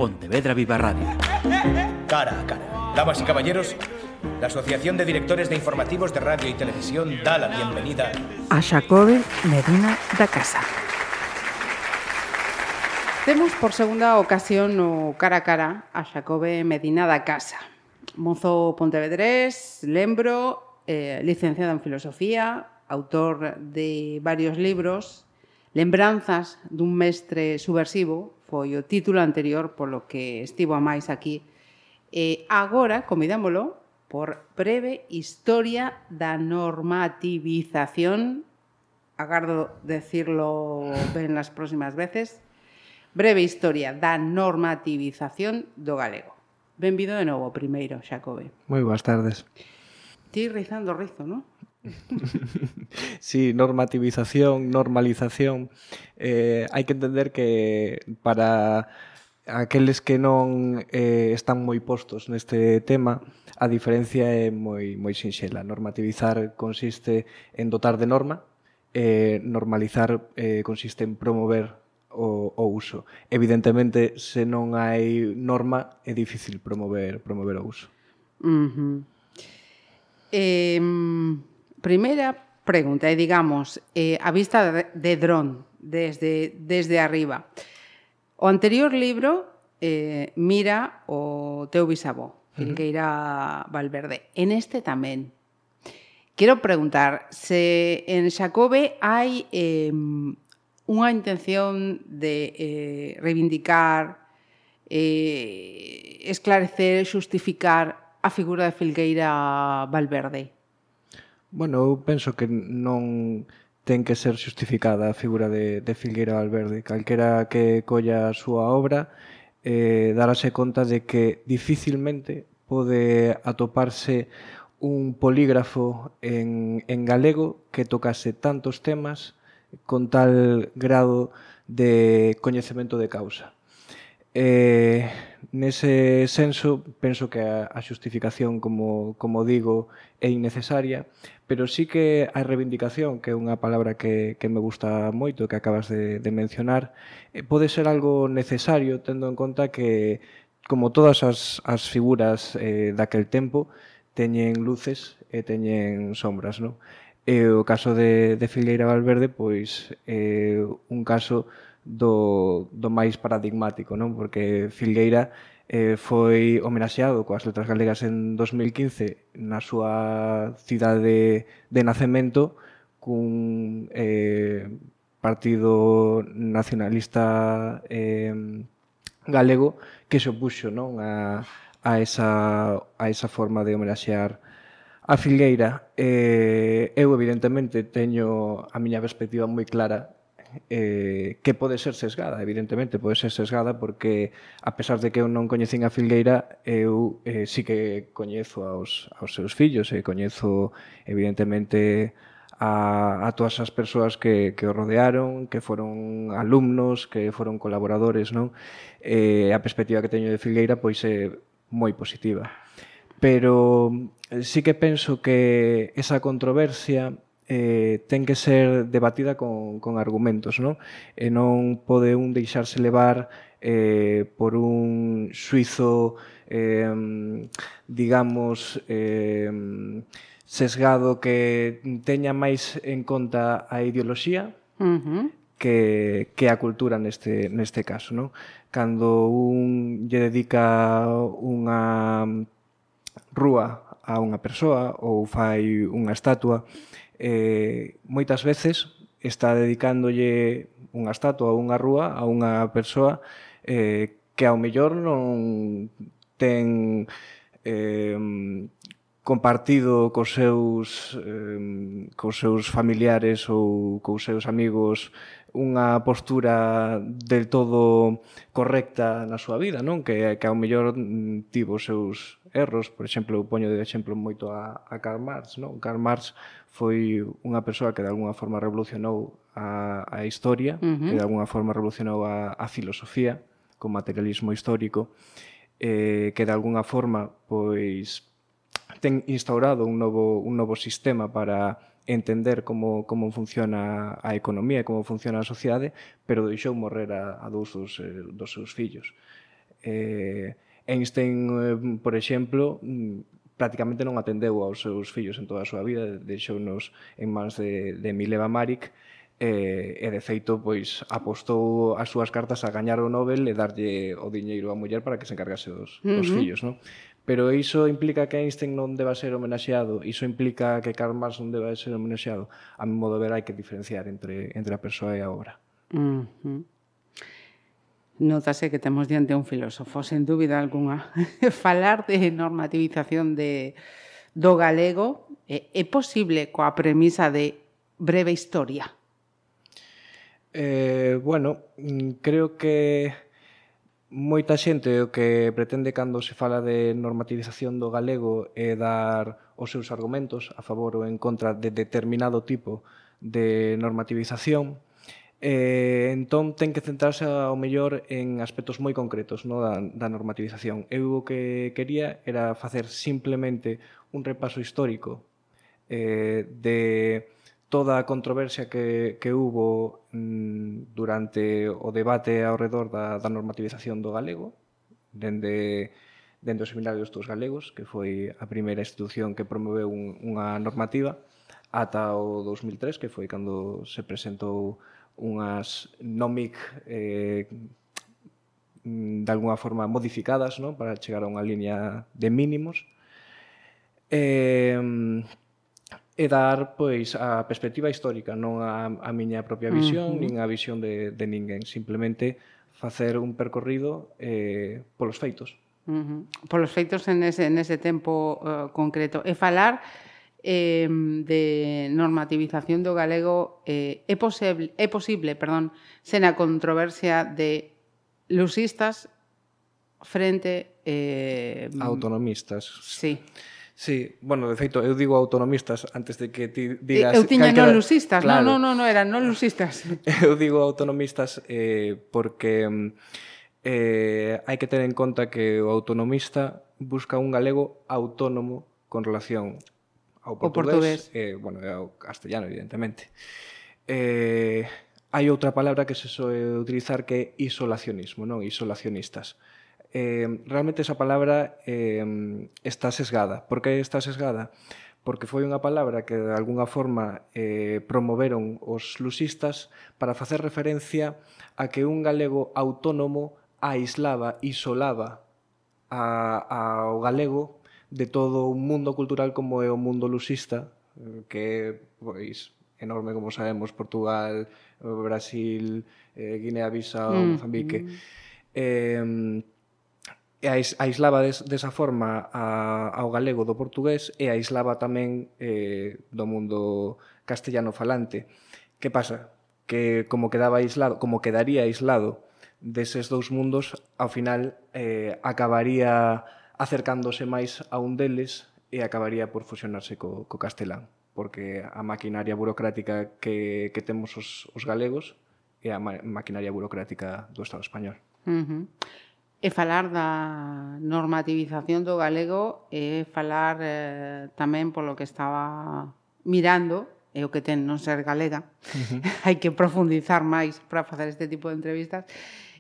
Pontevedra Viva Radio. Cara a cara. Damas y caballeros, la Asociación de Directores de Informativos de Radio y Televisión da la bienvenida a Xacobe Medina da Casa. Temos por segunda ocasión no cara a cara a Xacobe Medina da Casa. Mozo pontevedrés, lembro, licenciado en Filosofía, autor de varios libros. Lembranzas dun mestre subversivo foi o título anterior polo que estivo a máis aquí. Agora, convidámolo por Breve Historia da Normativización, agardo decirlo ben las próximas veces, Breve Historia da Normativización do galego. Benvido de novo, primeiro, Xacobe. Moi boas tardes. Ti rizando rizo, non? Sí, normativización, normalización. Hai que entender que para aqueles que non están moi postos neste tema, a diferencia é moi sinxela. Normativizar consiste en dotar de norma, normalizar consiste en promover o uso. Evidentemente, se non hai norma, é difícil promover o uso. Primeira pregunta, digamos, a vista de dron, desde arriba. O anterior libro mira o teu bisavó, Filgueira Valverde. En este tamén. Quero preguntar se en Xacobe hai unha intención de reivindicar, esclarecer, xustificar a figura de Filgueira Valverde. Bueno, eu penso que non ten que ser xustificada a figura de Filgueira Valverde. Calquera que colla a súa obra darase conta de que dificilmente pode atoparse un polígrafo en galego que tocase tantos temas con tal grado de coñecemento de causa. Nese senso, penso que a xustificación, como digo, é innecesaria, pero sí que a reivindicación, que é unha palabra que me gusta moito, que acabas de mencionar, pode ser algo necesario, tendo en conta que, como todas as figuras daquel tempo, teñen luces e teñen sombras, non? E o caso de Filgueira Valverde, pois, é un caso do máis paradigmático, non? Porque Filgueira foi homenaxeado coas Letras Galegas en 2015 na súa cidade de nacemento cun partido nacionalista galego que se opuxo, non? a esa forma de homenaxear a Filgueira. Eu, evidentemente, teño a miña perspectiva moi clara, que pode ser sesgada, evidentemente pode ser sesgada, porque a pesar de que eu non coñecín a Filgueira, eu sí que coñezo aos seus fillos e coñezo evidentemente a todas as persoas que o rodearon, que foron alumnos, que foron colaboradores, non? A perspectiva que teño de Filgueira pois é moi positiva, pero sí que penso que esa controversia ten que ser debatida con argumentos, non? E non pode un deixarse levar por un xuizo, digamos, sesgado que teña máis en conta a ideoloxía que a cultura neste caso, non? Cando un lle dedica unha rúa a unha persoa ou fai unha estatua, moitas veces está dedicándolle unha estatua ou unha rúa a unha persoa que ao mellor non ten compartido cos seus familiares ou cos seus amigos unha postura del todo correcta na súa vida, non? Que ao mellor tivo os seus erros. Por exemplo, eu poño de exemplo moito a Karl Marx, non? Karl Marx foi unha persoa que de alguna forma revolucionou a historia, que de alguna forma revolucionou a filosofía con materialismo histórico, que de alguna forma pois ten instaurado un novo sistema para entender como funciona a economía e como funciona a sociedade, pero deixou morrer a dous dos seus fillos. Einstein, por exemplo, prácticamente non atendeu aos seus fillos en toda a súa vida, deixounos en mans de Mileva Maric, e de feito pois apostou as súas cartas a gañar o Nobel e darlle o diñeiro á muller para que se encargase dos fillos, non? Pero iso implica que Einstein non deba ser homenaxeado, iso implica que Karl Marx non deba ser homenaxeado. A mi modo de ver hai que diferenciar entre a persoa e a obra. Notase que temos diante un filósofo, sen dúbida algunha. Falar de normativización do galego é posible coa premisa de breve historia? Bueno, creo que moita xente o que pretende cando se fala de normativización do galego é dar os seus argumentos a favor ou en contra de determinado tipo de normativización. Entón, ten que centrarse ao mellor en aspectos moi concretos, no, da normativización. Eu o que quería era facer simplemente un repaso histórico de toda a controversia que hubo durante o debate ao redor da normativización do galego, dende os seminarios dos galegos, que foi a primeira institución que promoveu unha normativa, ata o 2003, que foi cando se presentou unhas NOMIC de alguna forma modificadas, no, para chegar a unha liña de mínimos, e dar pois a perspectiva histórica, non a miña propia visión, nin a visión de ninguén, simplemente facer un percorrido polos feitos. Polos feitos en ese tempo concreto. E falar de normativización do galego é posible, sen a controversia de lusistas frente autonomistas. Sí. Sí, bueno, de feito, eu digo autonomistas antes de que ti digas... Eu tiña non lusistas, claro. non, eran non lusistas. Eu digo autonomistas porque hai que ter en conta que o autonomista busca un galego autónomo con relación ao portugués. Bueno, ao castellano, evidentemente. Hai outra palabra que se soe utilizar que é isolacionismo, non? Isolacionistas. Realmente esa palabra está sesgada. Por que está sesgada? Porque foi unha palabra que de alguna forma promoveron os lusistas para facer referencia a que un galego autónomo isolaba ao galego de todo un mundo cultural como é o mundo lusista, que é pois enorme, como sabemos, Portugal, Brasil, Guinea-Bissau, Mozambique. E aislaba desa forma ao galego do portugués e aislaba tamén do mundo castellano falante. Que pasa? Que como quedaría aislado deses dous mundos, ao final acabaría acercándose máis a un deles e acabaría por fusionarse co castelán, porque a maquinaria burocrática que temos os galegos é a maquinaria burocrática do Estado español. E falar da normativización do galego é falar tamén polo que estaba mirando, é o que ten non ser galega, hai que profundizar máis para facer este tipo de entrevistas.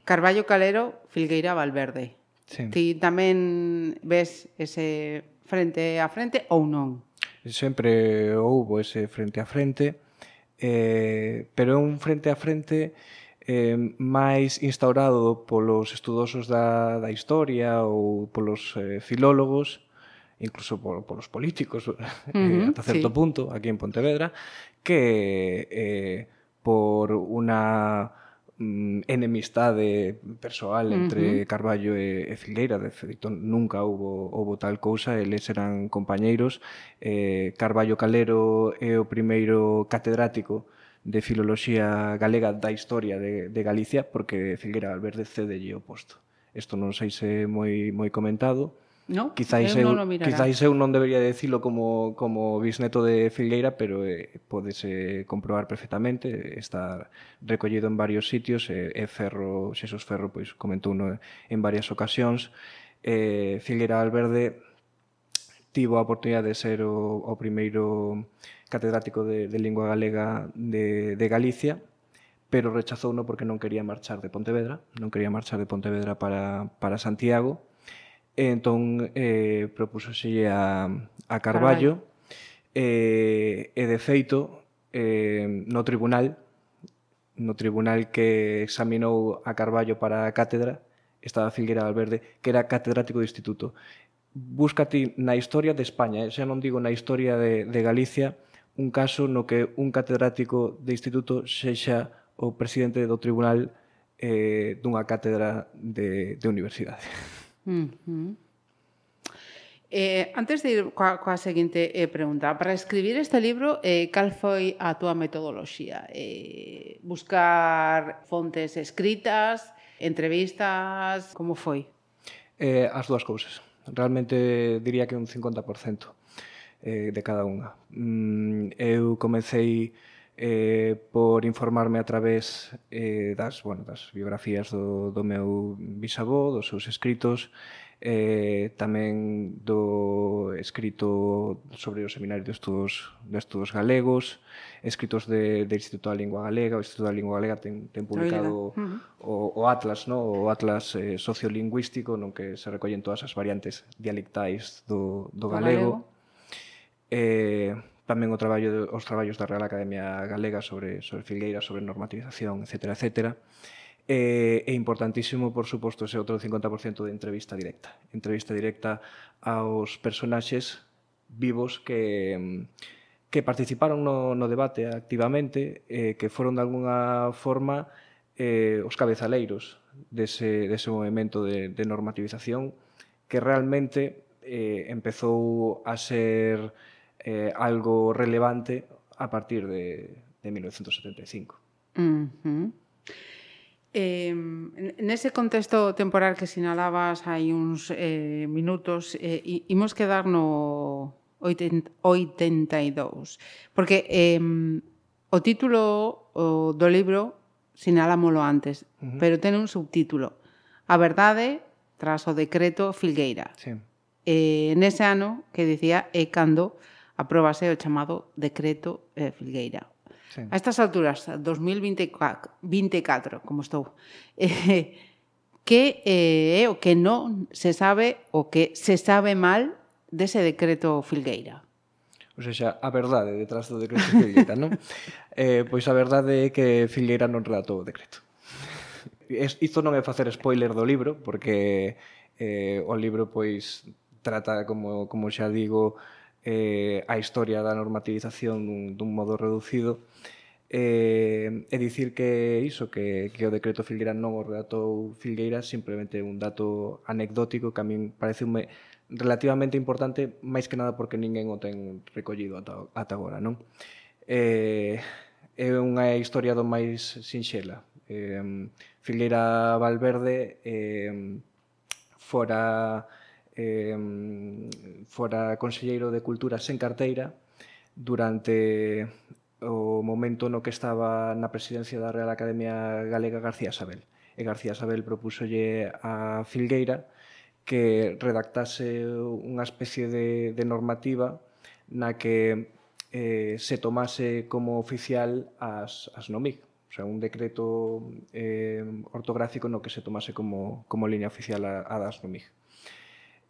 Carballo Calero, Filgueira Valverde. Sí. Ti tamén ves ese frente a frente ou non? Sempre houbo ese frente a frente, pero é un frente a frente máis instaurado polos estudosos da historia ou polos filólogos, incluso polos políticos, ata certo punto, aquí en Pontevedra, que por unha enemistade persoal entre Carballo e Filgueira. De feito, nunca houbo tal cousa, eles eran compañeiros. Carballo Calero é o primeiro catedrático de Filoloxía Galega da historia de Galicia, porque Filgueira Valverde cedelle o posto. Isto non sei se é moi comentado. No, quizáis eu non debería dicilo como bisneto de Filgueira, pero pódese comprobar perfectamente, está recollido en varios sitios, Xesús Ferro pois comentouno en varias ocasións. Filgueira Valverde tivo a oportunidade de ser o primeiro catedrático de lingua galega de Galicia, pero rechazouno porque non quería marchar de Pontevedra, para Santiago, e entón propúsoselle a Carballo, e de feito, no tribunal que examinou a Carballo para a cátedra, estaba Filgueira Valverde, que era catedrático de instituto. Búscate na historia de España, xa non digo na historia de Galicia, un caso no que un catedrático de instituto sexa o presidente do tribunal dunha cátedra de universidade. Antes de ir coa seguinte pregunta, para escribir este libro, cal foi a túa metodoloxía? Buscar fontes escritas, entrevistas, como foi? As dúas cousas. Realmente diría que un 50% de cada unha. Eu comecei por informarme a través das biografías do meu bisavó, dos seus escritos, tamén do escrito sobre o Seminario de Estudos Galegos, escritos do Instituto da Lingua Galega. O Instituto da Lingua Galega ten publicado o Atlas, o Atlas sociolingüístico, no que se recollen todas as variantes dialectais do galego. Tamén os traballos da Real Academia Galega sobre Filgueira, sobre normativización, etc. É importantísimo, por suposto, ese outro 50% de entrevista directa aos personaxes vivos que participaron no debate activamente, que foron de alguna forma os cabezaleiros dese movimento de normativización, que realmente empezou a ser algo relevante a partir de 1975. Nese contexto temporal que sinalabas hai uns minutos, imos quedar no 82, porque o título do libro sinalámolo antes, pero ten un subtítulo: A verdade tras o decreto Filgueira. Sí. Nese ano, que dicía, é cando apróbase o chamado decreto Filgueira. Sí. A estas alturas, 2024, como estou, que é o que non se sabe, o que se sabe mal dese decreto Filgueira? Ou seja, a verdade detrás do decreto Filgueira, non? Pois a verdade é que Filgueira non redactou o decreto. Isto non é facer spoiler do libro, porque o libro pois trata, como xa digo, a historia da normativización dun modo reducido, e dicir que iso, que o decreto Filgueira non o redactou Filgueira, simplemente un dato anecdótico que a min pareceume relativamente importante, máis que nada porque ninguén o ten recollido ata agora, non? É unha historia do máis sinxela. Filgueira Valverde fora conselleiro de Cultura sen carteira durante o momento no que estaba na presidencia da Real Academia Galega García Sabel. E García Sabel propúsolle a Filgueira que redactase unha especie de normativa na que se tomase como oficial as NOMIG, o sea, un decreto ortográfico no que se tomase como línea oficial a das NOMIG.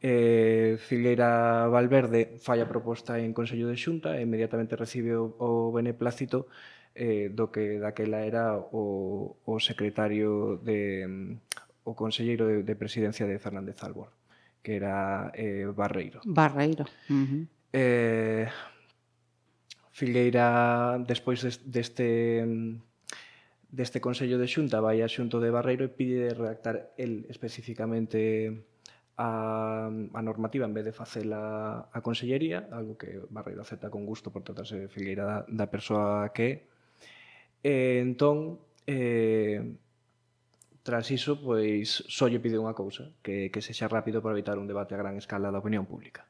Filgueira Valverde fai a proposta en Consello de Xunta e inmediatamente recibe o beneplácito do que daquela era o secretario o conselleiro de presidencia de Fernández Albor, que era Barreiro. Filgueira, despois deste Consello de Xunta, vai a xunto de Barreiro e pide redactar el especificamente a normativa en vez de facela a Consellería, algo que Barreiro acepta con gusto por tratarse de Filgueira da persoa que é. Entón, tras iso, pois, só lle pide unha cousa, que sexa rápido para evitar un debate a gran escala da opinión pública.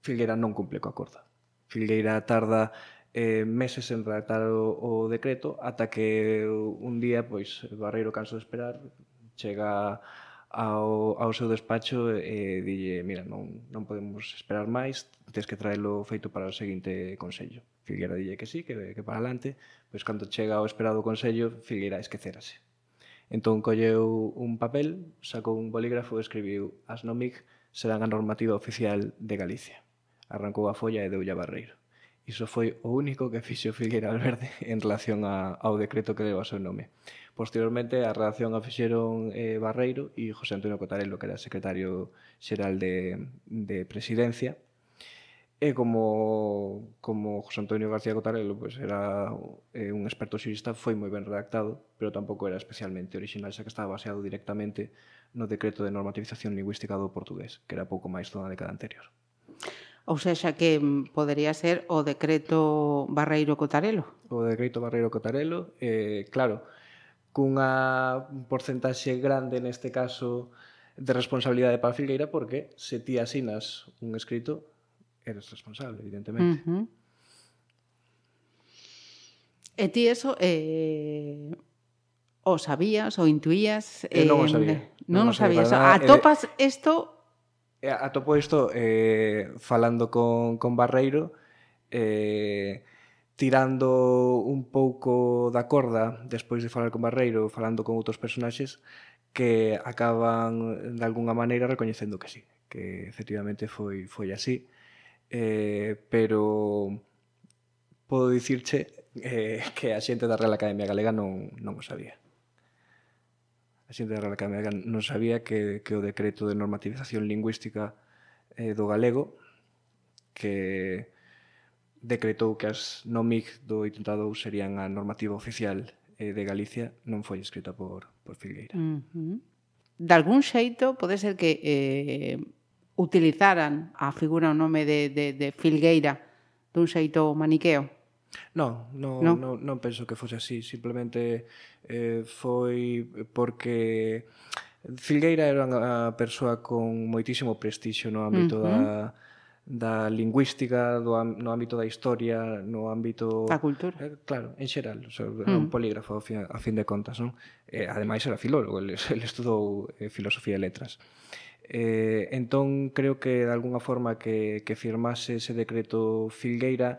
Filgueira non cumple coa acordo. Filgueira tarda meses en redactar o decreto ata que un día, pois, Barreiro canso de esperar, chega ao seu despacho e dille: mira, non podemos esperar máis, tens que traelo feito para o seguinte consello. Filgueira dille que sí, que para adelante, pois cando chega ao esperado consello, Filgueira esquecérase. Entón colleu un papel, sacou un bolígrafo e escribiu: as NOMIG serán a normativa oficial de Galicia. Arrancou a folla e deulle a Barreiro. Iso foi o único que fixo Filgueira Valverde en relación ao decreto que leva o seu nome. Posteriormente, a redacción a fixeron Barreiro e José Antonio Cotarelo, que era secretario xeral de Presidencia. E como José Antonio García Cotarelo pues, era un experto xurista, foi moi ben redactado, pero tampouco era especialmente original, xa que estaba baseado directamente no decreto de normativización lingüística do portugués, que era pouco máis dunha década anterior. Ou seja, que podería ser o decreto Barreiro-Cotarelo. O decreto Barreiro-Cotarelo, claro, cunha porcentaxe grande neste caso de responsabilidade para Filgueira, porque se ti asinas un escrito, eres responsable, evidentemente. E ti eso o sabías, o intuías? Non o sabía. Non o sabías. Atopas isto... Atopo isto falando con Barreiro, tirando un pouco da corda despois de falar con Barreiro, falando con outros personaxes que acaban de algunha maneira recoñecendo que sí, que efectivamente foi así, pero podo dicirche que a xente da Real Academia Galega non o sabía. A xente da Real Academia Galega non sabía que o decreto de normativización lingüística do galego, que decretou que as NOMIG do 82 serían a normativa oficial de Galicia, non foi escrita por Filgueira. De algún xeito, pode ser que utilizaran a figura o nome de Filgueira dun xeito maniqueo? Non penso que fose así, simplemente foi porque Filgueira era unha persoa con moitísimo prestixio no ámbito da lingüística, no ámbito da historia, no ámbito... Da cultura. Claro, en xeral, era un polígrafo a fin de contas, non? Ademais era filólogo, ele estudou filosofía e letras. Entón, creo que de alguna forma que firmase ese decreto Filgueira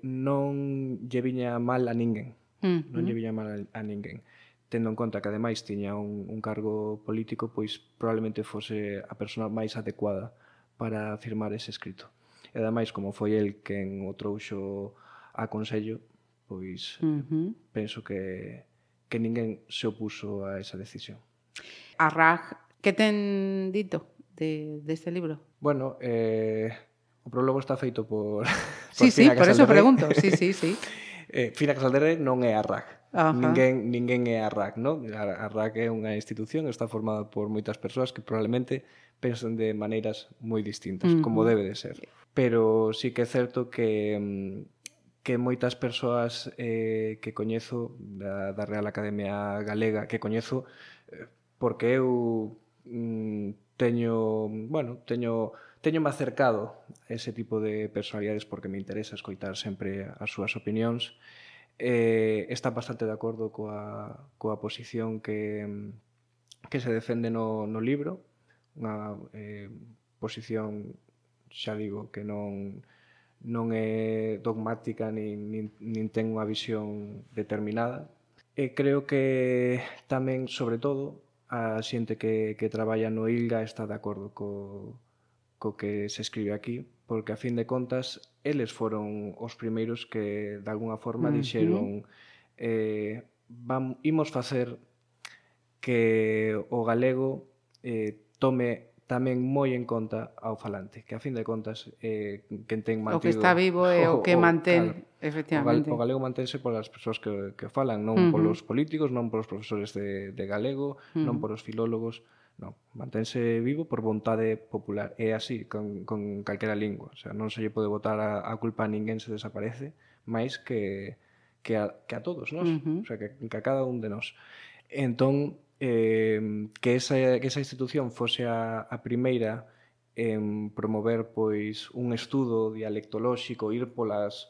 non lle viña mal a ninguén. Non lle viña mal a ninguén. Tendo en conta que ademais tiña un cargo político, pois probablemente fose a persona máis adecuada para firmar ese escrito. E ademais, como foi el quen o trouxo a consello, pois penso que ninguén se opuso a esa decisión. A RAG, que ten dito deste libro? Bueno, o prólogo está feito por Sí, por eso pregunto. Sí. Fina Casalderre non é a RAG. Ninguén é a RAG, non? A RAG é unha institución, está formada por moitas persoas que probablemente pensan de maneiras moi distintas, como debe de ser. Pero sí que é certo que moitas persoas que coñezo da Real Academia Galega, que coñezo porque eu teño-me acercado a ese tipo de personalidades porque me interesa escoitar sempre as súas opinións. Está bastante de acordo coa posición que se defende no libro, unha posición, xa digo, que non é dogmática nin ten unha visión determinada. E creo que tamén, sobre todo, a xente que traballa no ILGA está de acordo co que se escribe aquí, porque a fin de contas eles foron os primeiros que de alguna forma dixeron imos facer que o galego tome tamén moi en conta ao falante, que a fin de contas quen ten mantido... O que está vivo é o que mantén, efectivamente. O galego mantense polas persoas que falan, non polos políticos, non polos profesores de galego, non polos filólogos, non, mantense vivo por vontade popular. É así, con calquera lingua. O sea, non se lle pode botar a culpa a ninguén se desaparece, máis que a todos nós, o sea, que a cada un de nós. Entón, que esa institución fose a primeira en promover pois un estudo dialectolóxico, ir polas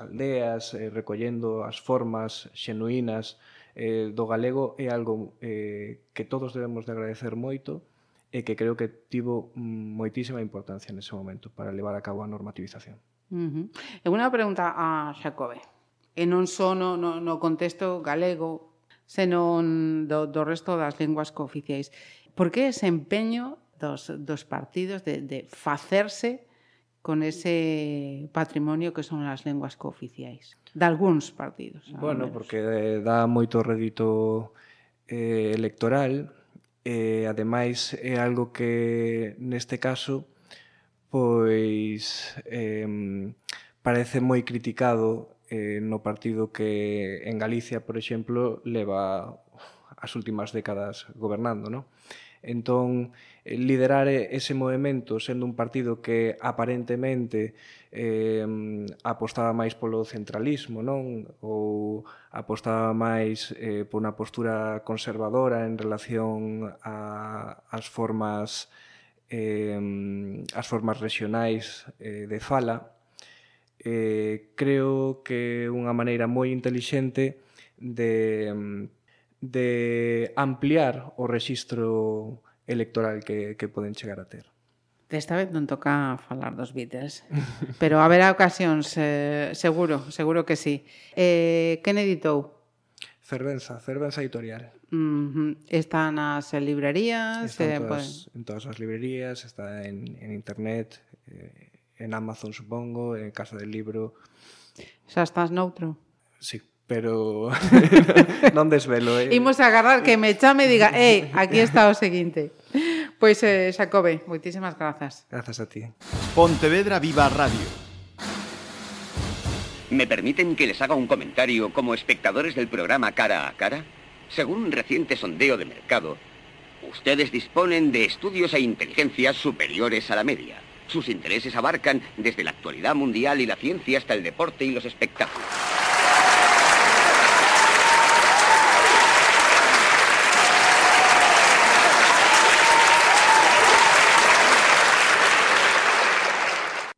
aldeas, recollendo as formas xenuínas do galego, é algo que todos debemos de agradecer moito e que creo que tivo moitísima importancia nese momento para levar a cabo a normativización. E unha pregunta a Xacobe, e non só no contexto galego, senón do resto das linguas cooficiais. Por que ese empeño dos partidos de facerse con ese patrimonio que son as linguas cooficiais? De algúns partidos. Bueno, porque dá moito rédito electoral e, ademais, é algo que, neste caso, pois parece moi criticado no partido que en Galicia, por exemplo, leva as últimas décadas gobernando, non? Entón, liderar ese movimento sendo un partido que aparentemente apostaba máis polo centralismo, non? Ou apostaba máis por unha postura conservadora en relación ás formas regionais de fala, creo que é unha maneira moi intelixente de ampliar o rexistro electoral que poden chegar a ter. Desta vez non toca falar dos Beatles, pero haberá ocasións, seguro que sí. Quen editou? Fervenza Editorial. Está nas librerías? Está en todas as librerías, está en internet, en Amazon, supongo, en Casa del Libro. Xa estás noutro? Sí, pero non desvelo. Imos a agarrar que me chame e diga aquí está o seguinte. Pois, Xacobe, moitísimas grazas. Grazas a ti. Pontevedra Viva Radio. ¿Me permiten que les haga un comentario como espectadores del programa Cara a Cara? Según un reciente sondeo de mercado, ustedes disponen de estudios e inteligencias superiores a la media. Sus intereses abarcan desde la actualidad mundial y la ciencia hasta el deporte y los espectáculos.